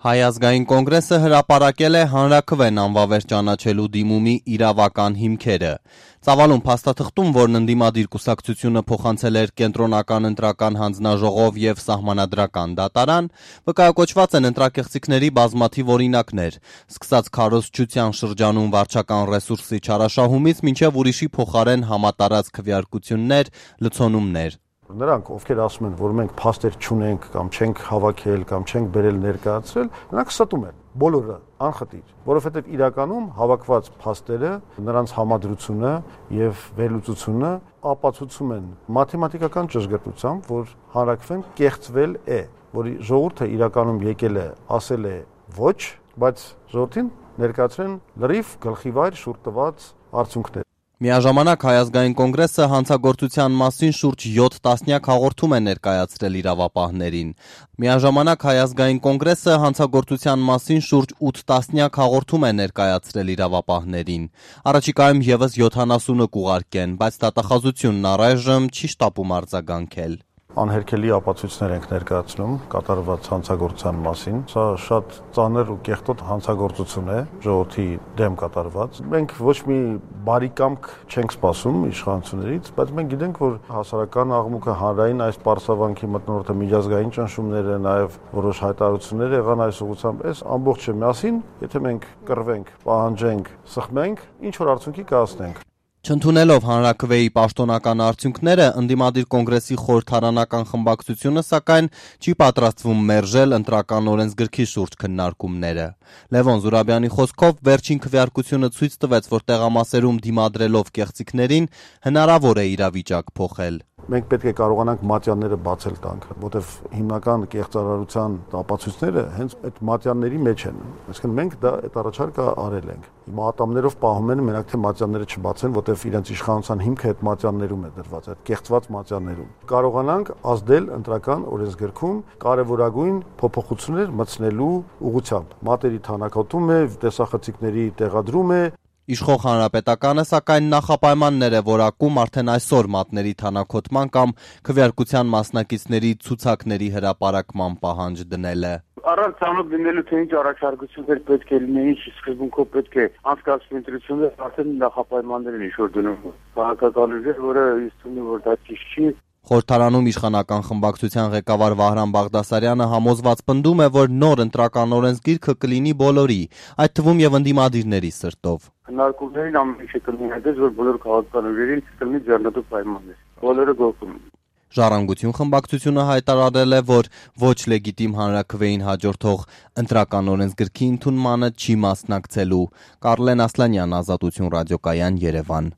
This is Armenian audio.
Հայ ազգային կոնգրեսը հրապարակել է հանրաքվեն անվավեր ճանաչելու դիմումի իրավական հիմքերը։ Ծավալուն փաստաթղթում, որն ընդդիմադիր կուսակցությունը փոխանցել էր կենտրոնական ընտրական հանձնաժողով եւ սահմանադրական դատարան, վկայակոչված են ընտրակեղծիքների բազմաթիվ օրինակներ, սկսած քարոզչության շրջանում վարչական ռեսուրսի չարաշահումից մինչեւ ուրիշի փոխարեն համատարած քվեարկություններ, լցոնումներ։ Նրանք, ովքեր ասում են, որ մենք փաստեր չունենք կամ չենք հավաքել կամ չենք բերել ներկայացրել, նրանք ստում են բոլորը անխտիր, որովհետև իրականում հավաքված փաստերը, նրանց համադրությունը եւ վերլուծությունը ապացուցում են մաթեմատիկական ճշգրտությամբ, որ հանրաքվեն կեղծվել է, որի ժողովուրդը իրականում եկել է, ասել է ոչ, բայց ժողովրդին ներկայացրեն լրիվ գլխիվայր շուրջ տված արդյունքներ։ Միաժամանակ Հայ ազգային կոնգրեսը հանցագործության մասին շուրջ 7 տասնյակ հաղորդում է ներկայացրել իրավապահներին։ Միաժամանակ Հայ ազգային կոնգրեսը հանցագործության մասին շուրջ 8 տասնյակ հաղորդում է ներկայացրել իրավապահներին։ Առաջիկայում եւս 70-ը կուղարկեն, բայց դատախազությունն առայժմ չի շտապում արձագանքել։ Անհերքելի ապացույցներ ենք ներկայացնում կատարված հանցագործության մասին։ Սա շատ ծանր ու կեղտոտ հանցագործություն է ժողովրդի դեմ կատարված։ Մենք ոչ մի բարի կամք չենք սպասում իշխանություններից, բայց մենք գիտենք, որ հասարակական աղմուկը հանրային այս պարսավանքի մթնոլորտը միջազգային ճնշումները, նաև որոշ հայտարարություններ եղան այս ուղղությամբ, այս ամբողջը միասին, եթե մենք կռվենք, պահանջենք, սխմենք, ինչ որ արդյունքի կհասնենք։ Չընդունելով հանրաքվեի պաշտոնական արդյունքները, ընդդիմադիր կոնգրեսի խորհրդարանական խմբակցությունը, սակայն, չի պատրաստվում մերժել ընտրական օրենսգրքի շուրջ քննարկումները։ Լևոն Զուրաբյանի խոսքով, վերջին քվեարկությունը ցույց տվեց, որ տեղամասերում դիմադրելով կեղծիքներին հնարավոր է իրավիճակ փոխել։ Մենք պետք է կարողանանք մատյանները բացել տանք, որտեղ հիմնական կեղծարարության ապացույցները հենց այդ մատյանների մեջ են։ Այսինքն մենք դա այդ առաջարկը արել ենք։ Հիմա ատամներով պահում են մենակ թե մատյանները չբացեն, որտեղ իրենց իշխանության հիմքը այդ մատյաններում է դրված, այդ կեղծված մատյաններում։ Կարողանանք ազդել ընտրական օրենսգրքում կարևորագույն փոփոխություններ մտցնելու ուղղությամբ։ Մատերի թանաքոտում է, տեսախցիկների տեղադրում է։ Իշխող հանրապետականը, սակայն նախապայմաններ է որակում արդեն այսօր մատների թանաքոտման կամ քվեարկության մասնակիցների ցուցակների հրապարակման պահանջ դնել է։ Առանց ցանոթ լինելու թե ինչ առաջարկություններ պետք է լինեն, ինչ սկզբունքով պետք է անցկացվի ընտրությունները, արդեն նախապայմաններ են ինչ-որ դնում։ Քաղաքական ուժեր, որը իստում է, որ դա ճիշտ չի։ Խորհրդարանում իշխանական խմբակցության ղեկավար Վահրամ Բաղդասարյանը համոզված պնդում է, որ նոր ընտրական օրենսգիրքը կլինի բոլորի, այդ թվում եւ ընդդիմադիրների սրտով։ Քննարկումներին ամեն ինչ կլինի այդպես, որ բոլոր քաղաքական ուժերին կլինի ձեռնտու պայմաններ։ Բոլորը գոհ։ Ժառանգություն խմբակցությունը հայտարարել է, որ ոչ լեգիտիմ հանրաքվեին հաջորդող ընտրական օրենսգրքի ընդունմանը չի մասնակցելու։ Կարլեն Ասլանյան, Ազատություն ռադիոկայան, Երևան։